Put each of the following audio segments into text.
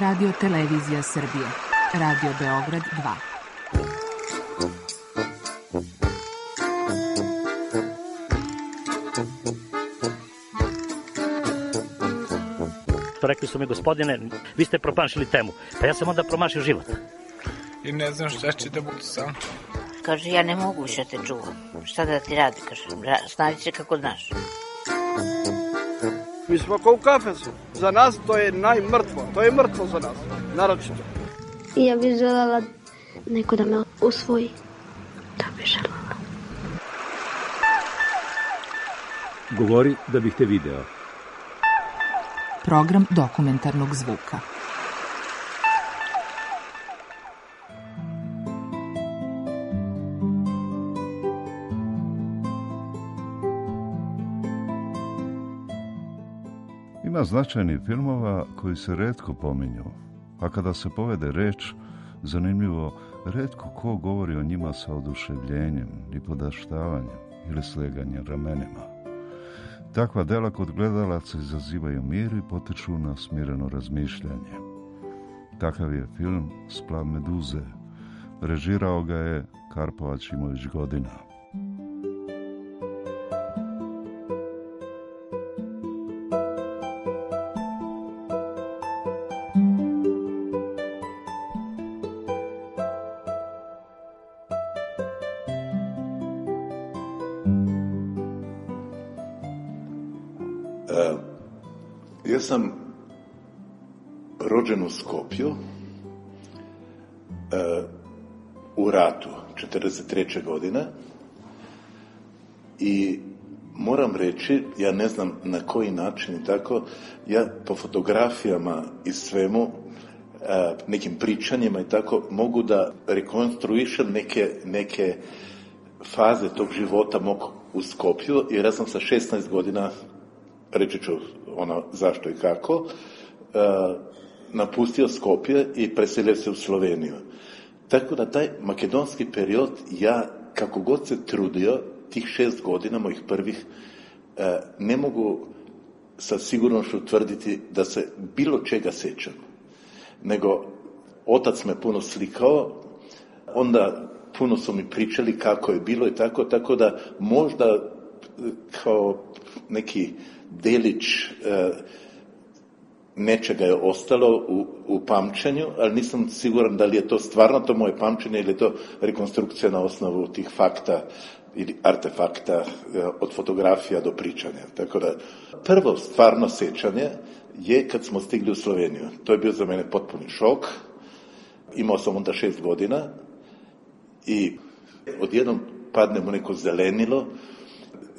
Radio Televizija Srbije. Radio Beograd 2. Rekli su mi, gospodine, vi ste promašili temu. Pa ja sam onda promašio život. I ne znam šta će da budu sam. Kaže, ja ne mogu više te čuvam. Šta da ti radi, kaže, snađi se kako znaš. Mi smo kao u kafesu. Za nas to je najmrtvo. To je mrtvo za nas, naročito. I ja bih želela neko da me usvoji. Da bih želela. Govori da bih te video. Program dokumentarnog zvuka. Ima značajnih filmova koji se retko pominju, a kada se povede reč, zanimljivo, retko ko govori o njima sa oduševljenjem i podaštavanjem ili sleganjem ramenima. Takva dela kod gledalaca izazivaju mir i potiču na smireno razmišljanje. Takav je film Splav meduze. Režirao ga je Karpo Aćimović Godina. Ja sam rođen u Skopju u ratu 1943. godine i moram reći, ja ne znam na koji način i tako, ja po fotografijama i svemu, nekim pričanjima i tako, mogu da rekonstruišem neke faze tog života mog u Skopju, jer ja sam sa 16 godina, reći ću zašto i kako, napustio Skopje i preselio se u Sloveniju. Tako da taj makedonski period, ja kako god se trudio, tih 6 godina mojih prvih, ne mogu sa sigurnošću tvrditi da se bilo čega sećam. Nego, otac me puno slikao, onda puno su mi pričali kako je bilo i tako da možda kao neki delić nečega je ostalo u pamćenju, ali nisam siguran da li je to stvarno to moje pamćenje ili je to rekonstrukcija na osnovu tih fakta ili artefakta od fotografija do pričanja. Tako da prvo stvarno sećanje je kad smo stigli u Sloveniju. To je bio za mene potpuni šok. Imao sam onda 6 godina i odjednom padnem u neko zelenilo.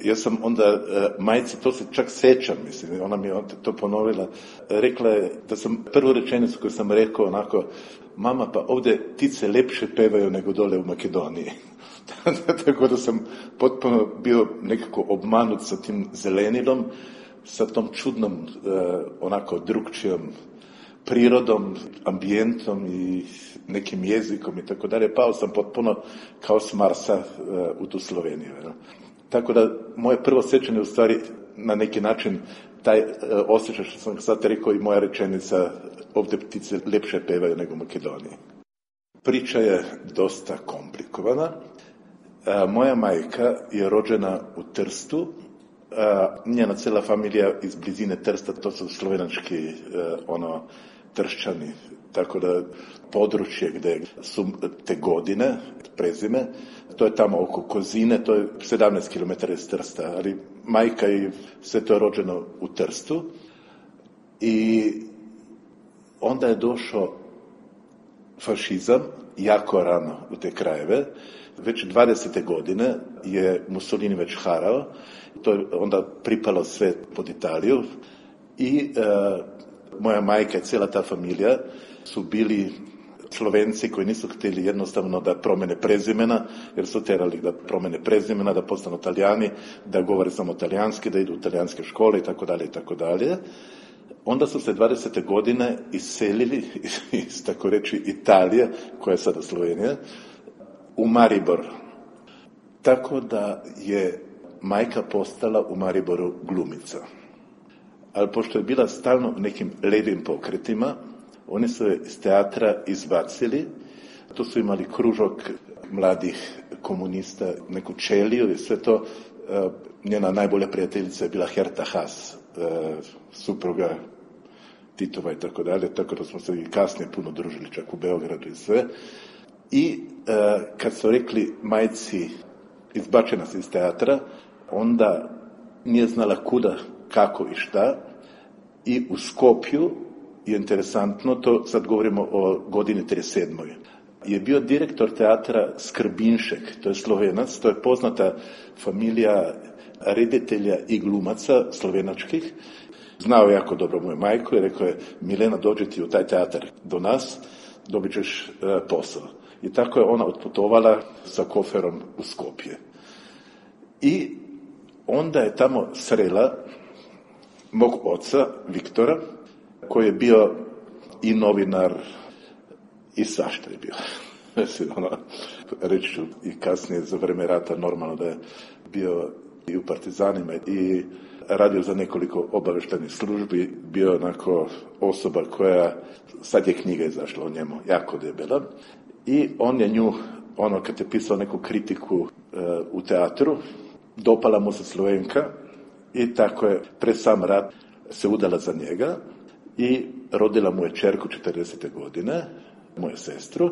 Ja sam onda majci, to se čak sećam, mislim, ona mi je to ponovila, rekla je da sam prvu rečenicu koju sam rekao onako, mama, pa ovdje ptice lepše pevaju nego dole u Makedoniji. Tako da sam potpuno bio nekako obmanut sa tim zelenilom, sa tom čudnom, onako drugčijom prirodom, ambijentom i nekim jezikom i tako dalje. Pao sam potpuno kao s Marsa u tu Sloveniju. Tako da moje prvo sećanje u stvari na neki način taj osjećaj što sam sad rekao i moja rečenica ovdje ptice lepše pevaju nego u Makedoniji. Priča je dosta komplikovana. Moja majka je rođena u Trstu. Njena cela familija iz blizine Trsta, to su slovenački Tršćani, tako da područje gdje su te godine, prezime, to je tamo oko Kozine, to je 17 km iz Trsta, ali majka i sve to je rođeno u Trstu. I onda je došao fašizam jako rano u te krajeve. Već 20. godine je Mussolini već harao, to je onda pripalo sve pod Italiju i moja majka i cijela ta familija su bili Slovenci koji nisu htjeli jednostavno da promene prezimena, jer su terali da promene prezimena, da postanu Talijani, da govore samo talijanski, da idu u talijanske škole i tako dalje. Onda su se 20. godine iselili iz, tako reći, Italije, koja je sada Slovenija, u Maribor. Tako da je majka postala u Mariboru glumica. Ali pošto je bila stalno u nekim levim pokretima, Oni su je iz teatra izbacili. Tu su imali kružok mladih komunista, neku čeliju i sve to. Njena najbolja prijateljica je bila Herta Haas, supruga Titova i tako dalje, tako da smo se i kasnije puno družili, čak u Beogradu i sve. I kad su rekli majci izbačena se iz teatra, onda nije znala kuda, kako i šta. I u Skopju je interesantno, to sad govorimo o godini 37. je bio direktor teatra Skrbinšek, to je Slovenac, to je poznata familija reditelja i glumaca slovenačkih. Znao jako dobro moju majku i rekao je: Milena, dođi ti u taj teatar do nas, dobit ćeš posao. I tako je ona otputovala sa koferom u Skopje. I onda je tamo srela mog oca, Viktora, koji je bio i novinar i svašta je bio. Reći ću i kasnije za vreme rata normalno da je bio i u partizanima i radio za nekoliko obavještajnih službi, bio onako osoba koja, sad je knjiga izašla o njemu, jako debela. I on je nju, kad je pisao neku kritiku u teatru, dopala mu se Slovenka i tako je pred sam rat se udala za njega i rodila mu je čerku 40. godine, moju sestru.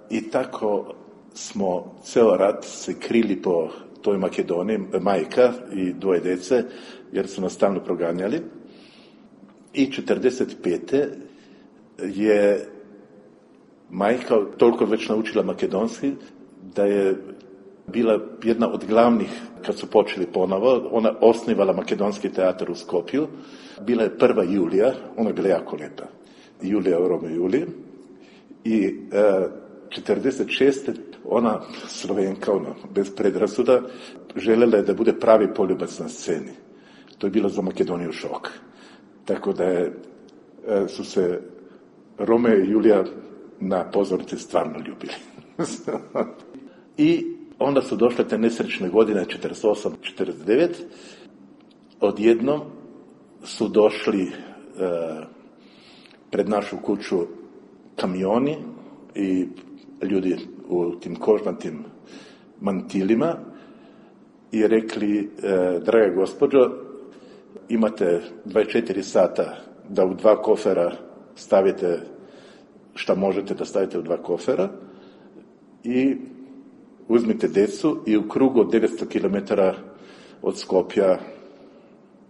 I tako smo ceo rat se krili po toj Makedoniji, majka i dvoje dece, jer su nas stalno proganjali. I 45. je majka toliko već naučila makedonski da je bila jedna od glavnih, kad su počeli ponovo, ona osnivala makedonski teatar u Skopju. Bila je prva Julija, ona je bila jako lijepa. Julija u Romeo i Juliji. I 46. ona Slovenka, bez predrasuda, željela je da bude pravi poljubac na sceni. To je bilo za Makedoniju šok. Tako da su se Romeo i Julija na pozornici stvarno ljubili. I onda su došle te nesrećne godine 48-49. Odjednom su došli pred našu kuću kamioni i ljudi u tim kožnatim mantilima i rekli: draga gospođo, imate 24 sata da u 2 kofera stavite šta možete da stavite u 2 kofera i uzmite decu i u krugu od 900 km od Skopja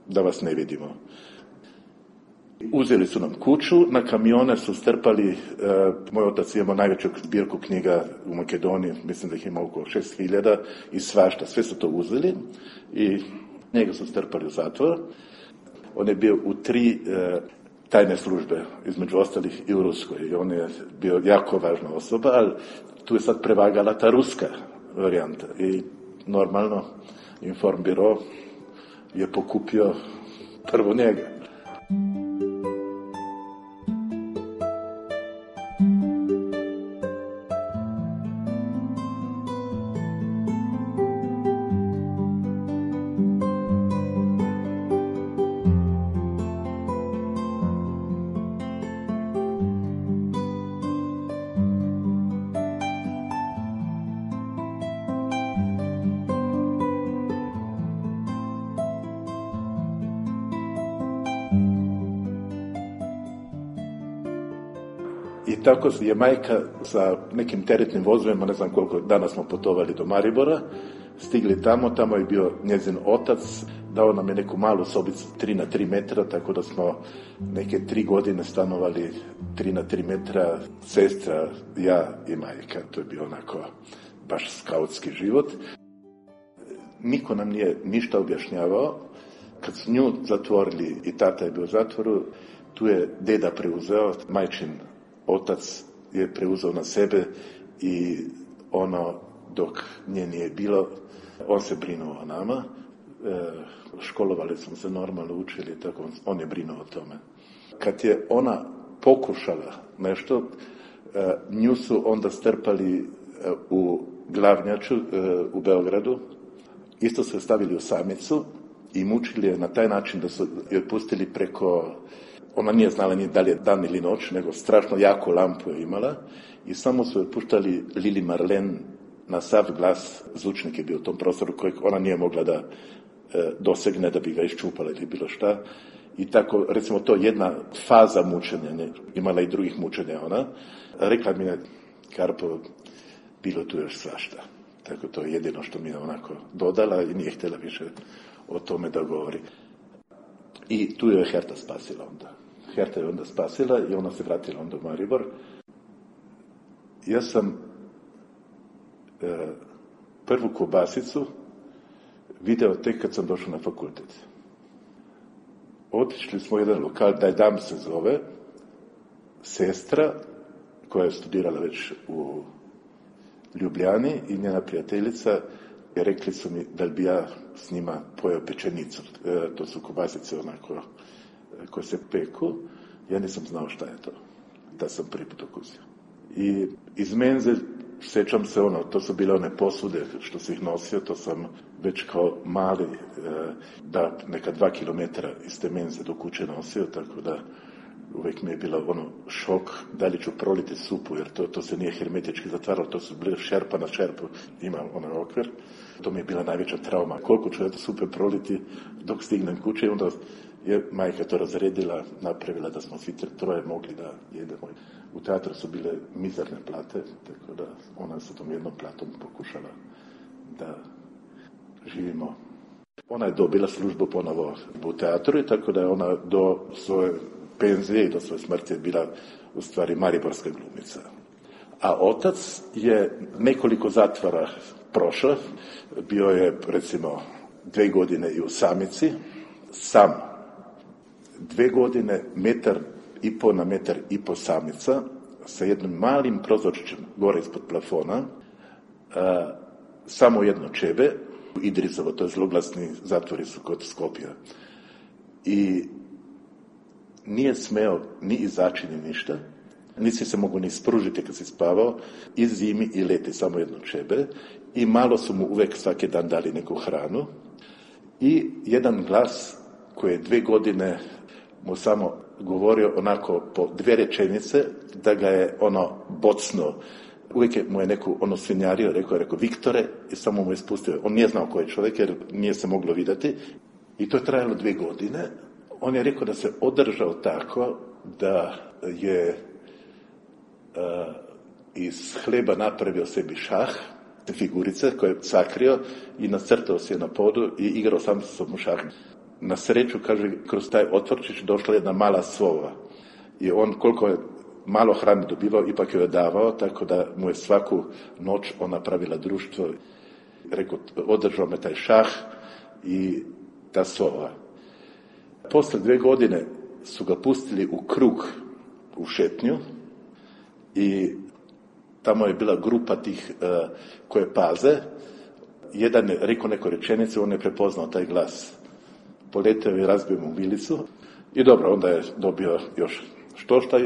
da vas ne vidimo. Uzeli su nam kuću, na kamione su strpali, moj otac imao najveću zbirku knjiga u Makedoniji, mislim da ih ima oko 6000 i svašta, sve su to uzeli i njega su strpali u zatvor. On je bio u 3 tajne službe, između ostalih i u Ruskoj, i on je bio jako važna osoba, ali tu je sad prevagala ta ruska varijanta i normalno Informbiro je pokupio prvo njega. I tako je majka sa nekim teretnim vozovima, ne znam koliko dana smo putovali do Maribora, stigli tamo je bio njezin otac, dao nam je neku malu sobicu 3x3 metra, tako da smo neke 3 godine stanovali 3x3 metra, sestra, ja i majka. To je bio onako baš skautski život. Niko nam nije ništa objašnjavao. Kad su nju zatvorili i tata je bio u zatvoru, tu je deda preuzeo, majčin otac je preuzeo na sebe i dok nje nije bilo, on se brinuo o nama. Školovali smo se normalno, učili, tako on je brinuo o tome. Kad je ona pokušala nešto, nju su onda strpali u Glavnjaču u Beogradu. Isto su je stavili u samicu i mučili je na taj način da su je pustili preko ona nije znala ni da li je dan ili noć, nego strašno jako lampu je imala i samo su je puštali Lili Marlen na sav glas, zvučnik je bio u tom prostoru kojeg ona nije mogla da dosegne, da bi ga iščupala ili bilo šta. I tako, recimo, to jedna faza mučenja, ne, imala i drugih mučenja ona. Rekla mi je, Karpo, bilo tu još svašta. Tako to je jedino što mi je onako dodala i nije htjela više o tome da govori. I tu je Herta spasila onda. Herta je onda spasila i ona se vratila onda u Maribor. Ja sam prvu kobasicu video tek kad sam došao na fakultet. Otišli smo u jedan lokal, Daj dam se zove, sestra koja je studirala već u Ljubljani i njena prijateljica, i rekli su mi da li bi ja s njima pojeo pečenicu. To su kobasice onako koje se peku. Ja nisam znao šta je to. Da sam prvi put okusio. I iz menze sjećam se to su bile one posude što se ih nosio, to sam već kao mali da neka 2 kilometra iz te menze do kuće nosio, tako da uvijek mi je bilo šok da li ću proliti supu, jer to se nije hermetički zatvaralo, to su bile šerpa na šerpu, ima onaj okvir. To mi je bila najveća trauma. Koliko ću supe proliti dok stignem kuće, i onda je majka to razredila, napravila da smo svi troje mogli da jedemo. U teatru su bile mizerne plate, tako da ona sa tom jednom platom pokušala da živimo. Ona je dobila službu ponovo u teatru i tako da je ona do svoje penzije i do svoje smrti bila u stvari mariborska glumica. A otac je nekoliko zatvora prošao, bio je recimo 2 godine i u Samici, sam 2 godine, 1,5 na 1,5 Samica, sa jednim malim prozorčićem gore ispod plafona, samo jedno Čebe, Idrizovo, to je zloglasni zatvori su kod Skopja. I nije smeo ni izaći ni ništa, nisi se mogu ni spružiti kad si spavao, i zimi i leti samo jedno Čebe, i malo su mu uvek svaki dan dali neku hranu, i jedan glas koji je 2 godine mu samo govorio onako po 2 rečenice, da ga je bocno. Uvijek mu je neku svinjario, rekao Viktore, i samo mu je spustio. On nije znao ko je čovjek jer nije se moglo vidjeti. I to je trajalo 2 godine. On je rekao da se održao tako da je iz hleba napravio sebi šah, figurice koje je sakrio i nacrtao se na podu i igrao sam sa sobom šah. Na sreću, kaže, kroz taj otvorčić došla jedna mala sova. I on, koliko je malo hrane dobivao, ipak joj je davao, tako da mu je svaku noć ona pravila društvo. Rekao, održao me taj šah i ta sova. Posle 2 godine su ga pustili u krug u šetnju i tamo je bila grupa tih koje paze. Jedan je rekao neku rečenicu, on je prepoznao taj glas. Poleteo i razbio mu vilicu i dobro, onda je dobio još štošta.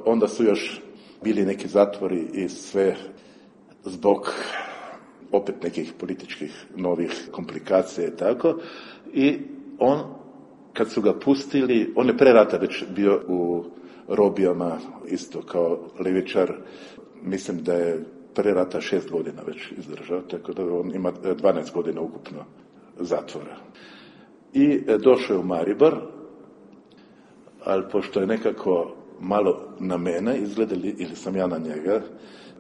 Onda su još bili neki zatvori i sve zbog opet nekih političkih novih komplikacija i tako. I on, kad su ga pustili, on je pre rata već bio u robijama, isto kao levičar. Mislim da je pre rata 6 godina već izdržao, tako da on ima 12 godina ukupno zatvora. I došao je u Maribor, ali pošto je nekako malo na mene izgledali, ili sam ja na njega,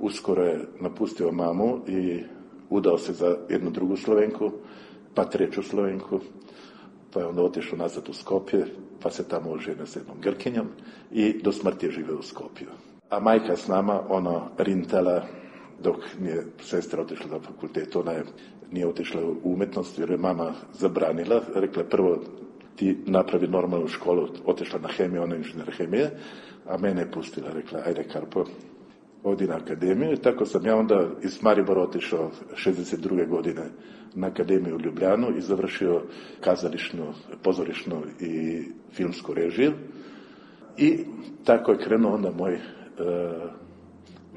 uskoro je napustio mamu i udao se za jednu drugu Slovenku, pa 3. Slovenku, pa je onda otišao nazad u Skopje, pa se tamo oženio s jednom Grkinjom i do smrti je živio u Skopju. A majka s nama, rintala, dok nije sestra otišla na fakultet, ona nije otišla u umetnost, jer je mama zabranila. Rekla je, prvo ti napravi normalnu školu, otišla na hemiju, ona je inženjer hemije, a mene je pustila, rekla, ajde Karpo, odi na akademiju. I tako sam ja onda iz Maribora otišao 62. godine na akademiju u Ljubljanu i završio kazališnu, pozorišnu i filmsku režiju. I tako je krenuo onda moj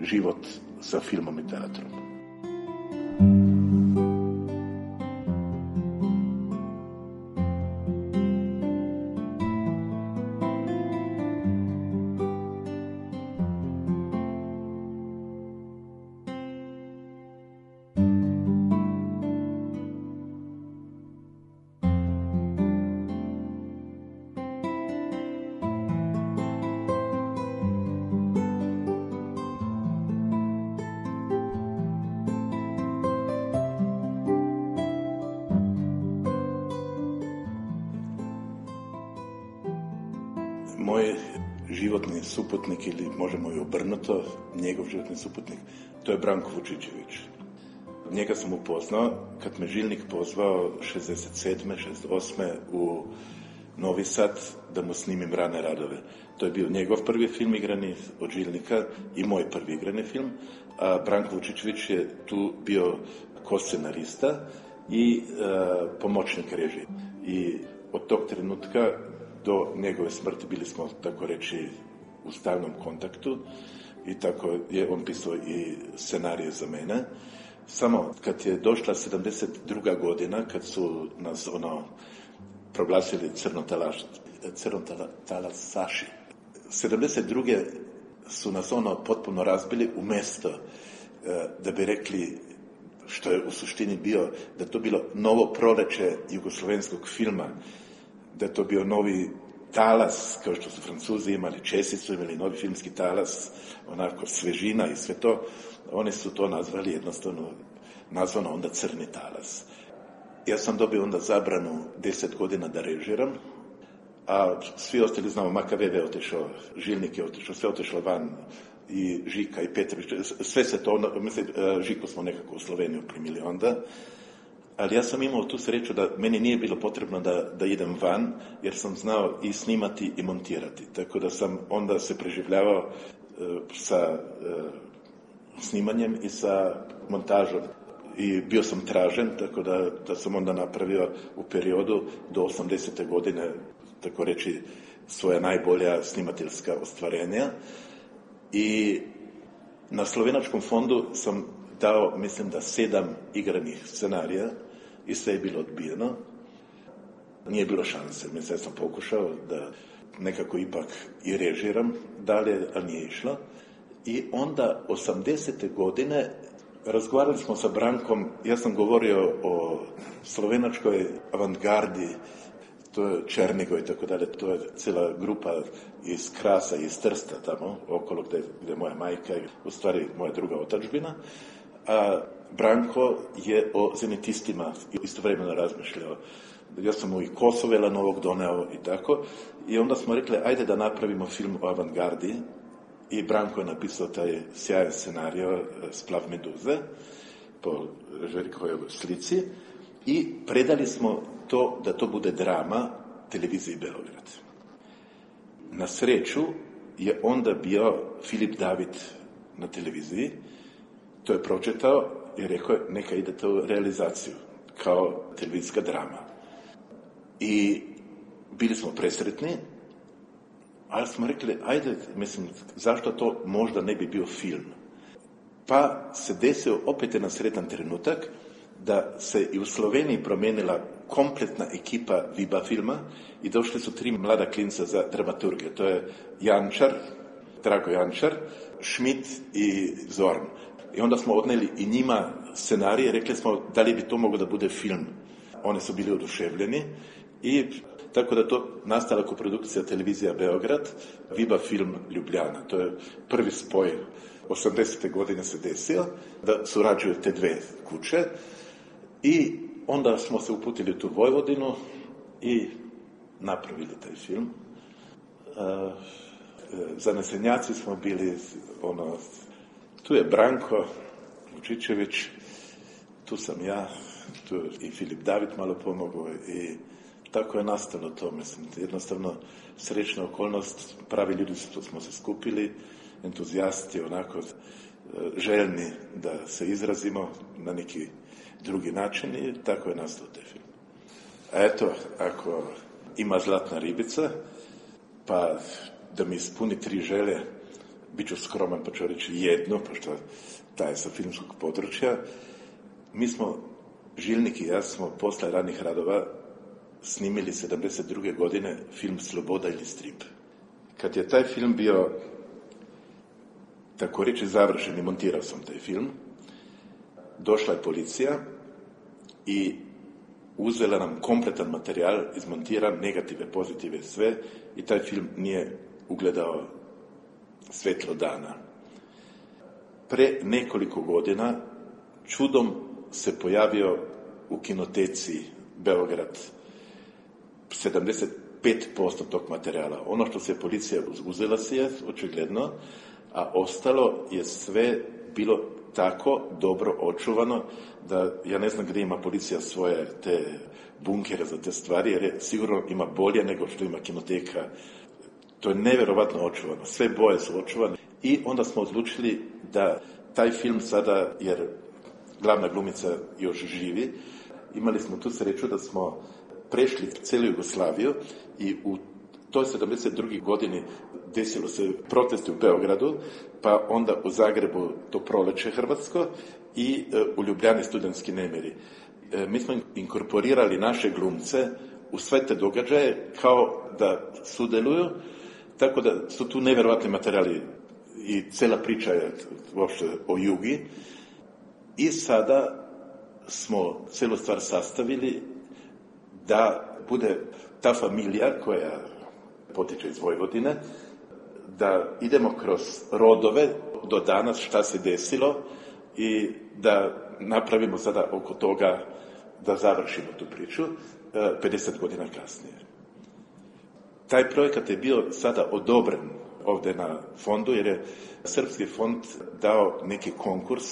život sa filmom i teatrom. Moj životni suputnik, ili možemo i obrnuto, njegov životni suputnik, to je Branko Vučićević. Njega sam upoznao kad me Žilnik pozvao 67. 68. u Novi Sad da mu snimim Rane radove. To je bio njegov prvi film igrani od Žilnika i moj prvi igrani film, a Branko Vučićević je tu bio koscenarista i pomoćnik režije. I od tog trenutka do njegove smrti bili smo, tako reći, u stalnom kontaktu i tako je on pisao i scenarije za mene. Samo kad je došla 72. godina, kad su nas proglasili crnotalasaši, 72. su nas potpuno razbili umjesto da bi rekli, što je u suštini bio, da to bilo novo proleće jugoslovenskog filma, da je to bio novi talas, kao što su Francuzi imali, Česi su imali novi filmski talas, onako svežina i sve to. Oni su to nazvali jednostavno, nazvano onda crni talas. Ja sam dobio onda zabranu 10 godina da režiram, a svi ostali znamo, Makaveve je otišao, Žilnik je otišao, sve otišlo van, i Žika i Petrović, sve se to, mislim, Žiku smo nekako u Sloveniju primili onda, ali ja sam imao tu sreću da meni nije bilo potrebno da idem van, jer sam znao i snimati i montirati, tako da sam onda se preživljavao sa snimanjem i sa montažom. I bio sam tražen, tako da sam onda napravio u periodu do 80. godine, tako reći, svoja najbolja snimateljska ostvarenja. I na Slovenačkom fondu sam dao, mislim da 7 igranih scenarija i sve je bilo odbijeno. Nije bilo šanse, mislim, ja sam pokušao da nekako ipak i režiram dalje, ali nije išlo. I onda 80. godine razgovarali smo sa Brankom, ja sam govorio o slovenačkoj avantgardi, to je Černigoj i tako dalje, to je cijela grupa iz Krasa i iz Trsta tamo, okolo gdje je moja majka, u stvari moja druga otadžbina, a Branko je o zenitistima istovremeno razmišljao. Ja sam mu i Kosovela novog doneo i tako, i onda smo rekli, ajde da napravimo film o avantgardi, i Branko je napisao taj sjajan scenario Splav meduze po Željkovoj slici i predali smo to da to bude drama televiziji Beograd. Na sreću je onda bio Filip David na televiziji, to je pročitao i rekao je neka idete u realizaciju kao televizijska drama. I bili smo presretni, ali smo rekli, ajde, mislim, zašto to možda ne bi bio film? Pa se desio opet jedan sretan trenutak da se i u Sloveniji promijenila kompletna ekipa Viba filma i došli su 3 mlada klinca za dramaturgiju. To je Jančar, Drago Jančar, Schmidt i Zorn. I onda smo odneli i njima scenarije, rekli smo da li bi to moglo da bude film. Oni su bili oduševljeni i tako da to nastala koprodukcija televizija Beograd, Viba film Ljubljana. To je prvi spoj. 80. godine se desio da surađuju te dve kuće i onda smo se uputili u tu Vojvodinu i napravili taj film. Zanesenjaci smo bili, tu je Branko Vučićević, tu sam ja, tu je i Filip David malo pomogao i tako je nastalo to, mislim, jednostavno srećna okolnost, pravi ljudi smo se skupili, entuzijasti, onako željni da se izrazimo na neki drugi način i tako je nastao taj film. A eto, ako ima zlatna ribica, pa da mi ispuni 3 želje, bit ću skroman pa ću reći jedno, pošto taj je sa filmskog područja. Mi smo, Žilnik i ja, smo posle ranih radova snimili 72. godine film Sloboda ili strip. Kad je taj film bio tako reći završen i montirao sam taj film, došla je policija i uzela nam kompletan materijal, izmontiran, negative, pozitive, sve, i taj film nije ugledao svetlo dana. Pre nekoliko godina čudom se pojavio u kinoteci Beograd 75 5% tog materijala. Ono što se policija uzela si je, očigledno, a ostalo je sve bilo tako dobro očuvano da ja ne znam gdje ima policija svoje te bunkere za te stvari, jer je sigurno ima bolje nego što ima kinoteka. To je nevjerovatno očuvano. Sve boje su očuvane. I onda smo odlučili da taj film sada, jer glavna glumica još živi, imali smo tu sreću da smo prešli cijelu Jugoslaviju i u toj 72. godini desilo se protesti u Beogradu, pa onda u Zagrebu to proleće hrvatsko i u Ljubljani studentski nemiri. Mi smo inkorporirali naše glumce u sve te događaje kao da sudjeluju, tako da su tu nevjerovatni materijali i cijela priča je uopšte o Jugi. I sada smo cijelu stvar sastavili da bude ta familija koja potiče iz Vojvodine, da idemo kroz rodove do danas šta se desilo i da napravimo sada oko toga da završimo tu priču 50 godina kasnije. Taj projekat je bio sada odobren ovdje na fondu, jer je Srpski fond dao neki konkurs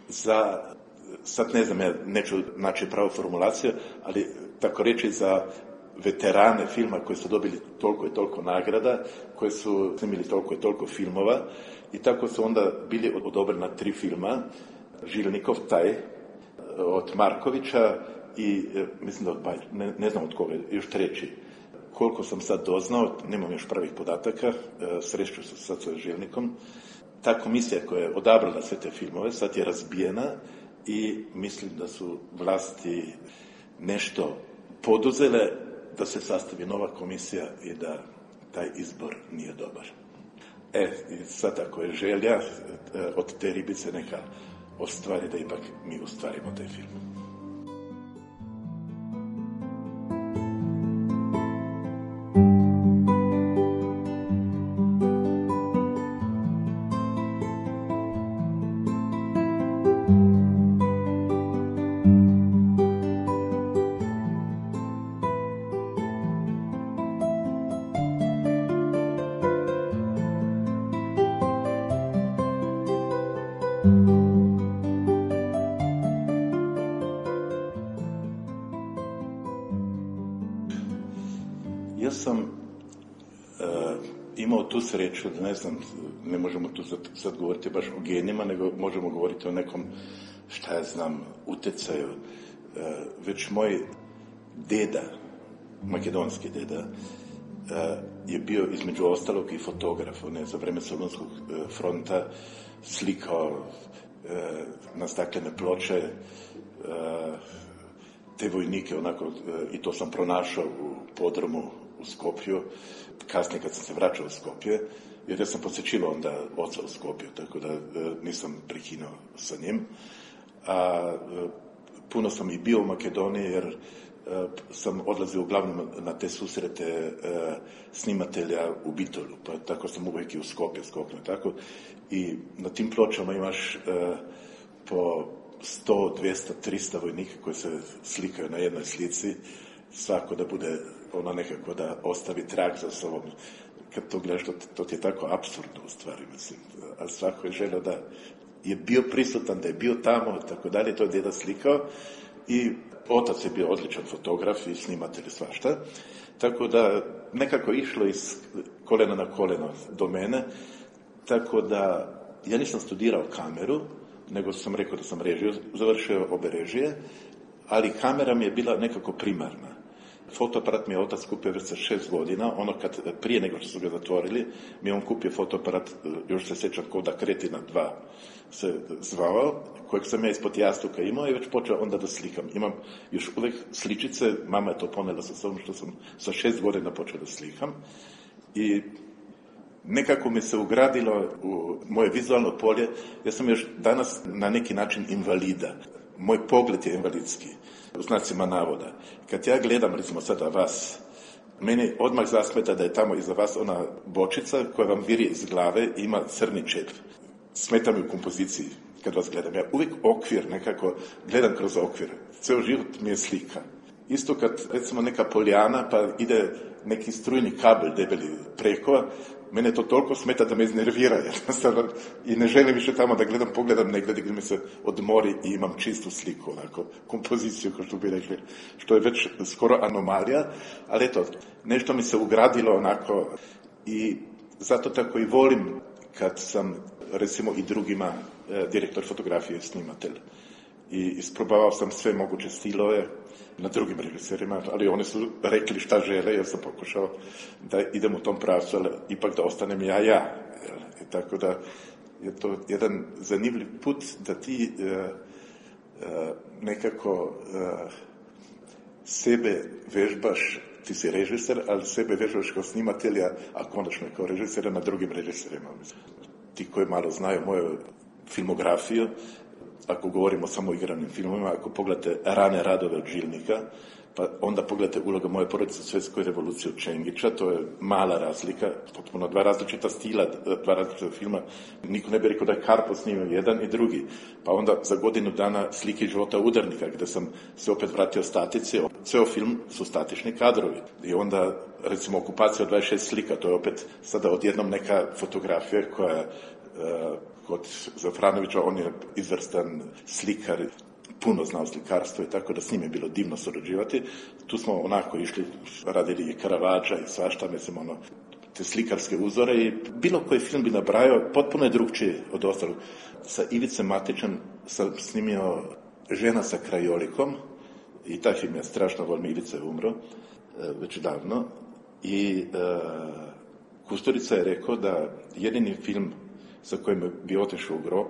za, sad ne znam, ja neću naći pravu formulaciju, ali tako reći za veterane filma koji su dobili toliko i toliko nagrada, koji su snimili toliko i toliko filmova, i tako su onda bili odobrena 3 filma, Žilnikov taj, od Markovića i mislim da od ne znam od koga, još 3. Koliko sam sad doznao, nemam još pravih podataka, sreću se sad sa Žilnikom. Ta komisija koja je odabrala sve te filmove sad je razbijena i mislim da su vlasti nešto poduzele da se sastavi nova komisija i da taj izbor nije dobar. I sad ako je želja od te ribice neka ostvari da ipak mi ostvarimo taj film. Ja sam imao tu sreću, ne znam, ne možemo tu sad govoriti baš o genima, nego možemo govoriti o nekom, šta ja znam, utjecaju. Već moj deda, makedonski deda, je bio između ostalog i fotograf. On je za vreme Solunskog fronta slikao na staklene ploče te vojnike, onako, i to sam pronašao u podrumu u Skopju, kasnije kad sam se vraćao u Skopje, jer ja sam posjećivao onda oca u Skopju, tako da nisam prekinuo sa njim. A puno sam i bio u Makedoniji, jer sam odlazio uglavnom na te susrete snimatelja u Bitolu, pa tako sam uvijek i u Skopje skoknuo, tako. I na tim pločama imaš po 100, 200, 300 vojnika koji se slikaju na jednoj slici, svako da bude ono nekako da ostavi trag za sobom. Kad to gledaš, to ti je tako apsurdno u stvari, mislim. A svako je želio da je bio prisutan, da je bio tamo, tako dalje, to je deda slikao. I otac je bio odličan fotograf i snimatelj i svašta. Tako da nekako išlo iz kolena na koleno do mene. Tako da ja nisam studirao kameru, nego sam rekao da sam režiju, završio obe režije, ali kamera mi je bila nekako primarna. Fotoaparat mi je otac kupio već sa 6 godina, ono kad prije nego što su ga zatvorili, mi je on kupio fotoaparat, još se sjećam Koda Kretina 2 se zvao, kojeg sam ja ispod jastuka imao i već počeo onda da slikam. Imam još uvijek sličice, mama je to ponela sa sobom što sam sa 6 godina počeo da slikam i nekako mi se ugradilo u moje vizualno polje. Ja sam još danas na neki način invalida. Moj pogled je invalidski, u znacima navoda. Kad ja gledam, recimo sada vas, meni odmah zasmeta da je tamo iza vas ona bočica koja vam viri iz glave i ima crni čep. Smeta mi u kompoziciji kad vas gledam. Ja uvijek okvir nekako gledam kroz okvir. Ceo život mi je slika. isto kad recimo neka poljana pa ide neki strujni kabel debeli preko, mene to toliko smeta da me iznervira jednostavno i ne želim više tamo da pogledam negdje gdje mi se odmori i imam čistu sliku, onako, kompoziciju, kao što bi rekli, što je već skoro anomalija, ali eto, nešto mi se ugradilo onako i zato tako i volim kad sam, recimo i drugima, direktor fotografije i snimatelj. I isprobavao sam sve moguće stilove na drugim režiserima, ali oni su rekli šta žele, jer sam pokušao da idem u tom pravcu, ali ipak da ostanem ja. I tako da je to jedan zanimljiv put da ti nekako sebe vežbaš, ti si režiser, ali sebe vežbaš kao snimatelja, a konačno kao režisera na drugim režiserima. Ti koji malo znaju moju filmografiju, ako govorimo samo o igranim filmovima, ako pogledate rane radove od Žilnika, pa onda pogledate Uloga moje porodice u svjetskoj revoluciji od Čengića, to je mala razlika, potpuno dva različita stila, dva različita filma. Niko ne bi rekao da je Karpo snimio jedan i drugi. Pa onda za godinu dana Slike života udarnika, gdje sam se opet vratio statici. Ceo film su statični kadrovi. I onda, recimo, Okupacija od 26 slika, to je opet sada odjednom neka fotografija koja kod Zafranovića, on je izvrstan slikar, puno znao slikarstvo i tako da s njim je bilo divno surađivati. Tu smo onako išli, radili i Karavadža i svašta, mislim, te slikarske uzore i bilo koji film bi nabrajao, potpuno je drugčije od ostalog. Sa Ivicem Matićem sam snimio Žena sa krajolikom i taj film ja strašno volim, Ivica je umro već davno i Kusturica je rekao da jedini film sa kojim bi otišao u grob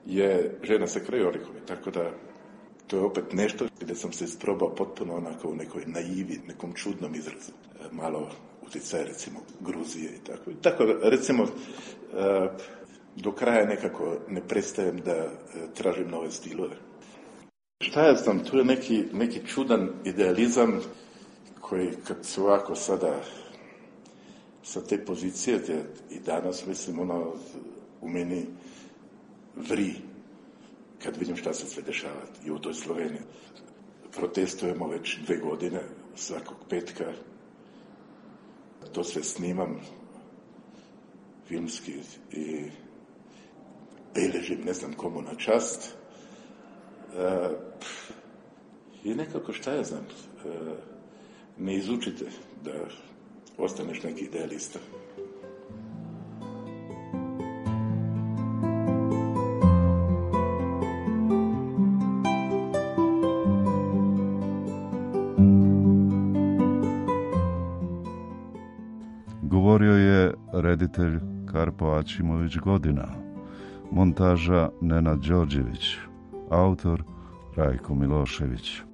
je Žena sa krajolikom. Tako da to je opet nešto gdje sam se isprobao potpuno onako u nekoj naivi, nekom čudnom izrazu. Malo utjecaj, recimo, Gruzije i tako. Tako, recimo, do kraja nekako ne prestajem da tražim nove stilove. Šta ja znam, tu je neki čudan idealizam koji kad se ovako sada sa te pozicije i danas, mislim, u meni vri kad vidim šta se sve dešava i u toj Sloveniji. Protestujemo već 2 godine, svakog petka. To sve snimam filmski i beležim, ne znam komu na čast. I nekako šta ja znam, ne izučite da ostaneš neki idealista. Govorio je reditelj Karpo Aćimović Godina, montaža Nenad Đorđević, autor Rajko Milošević.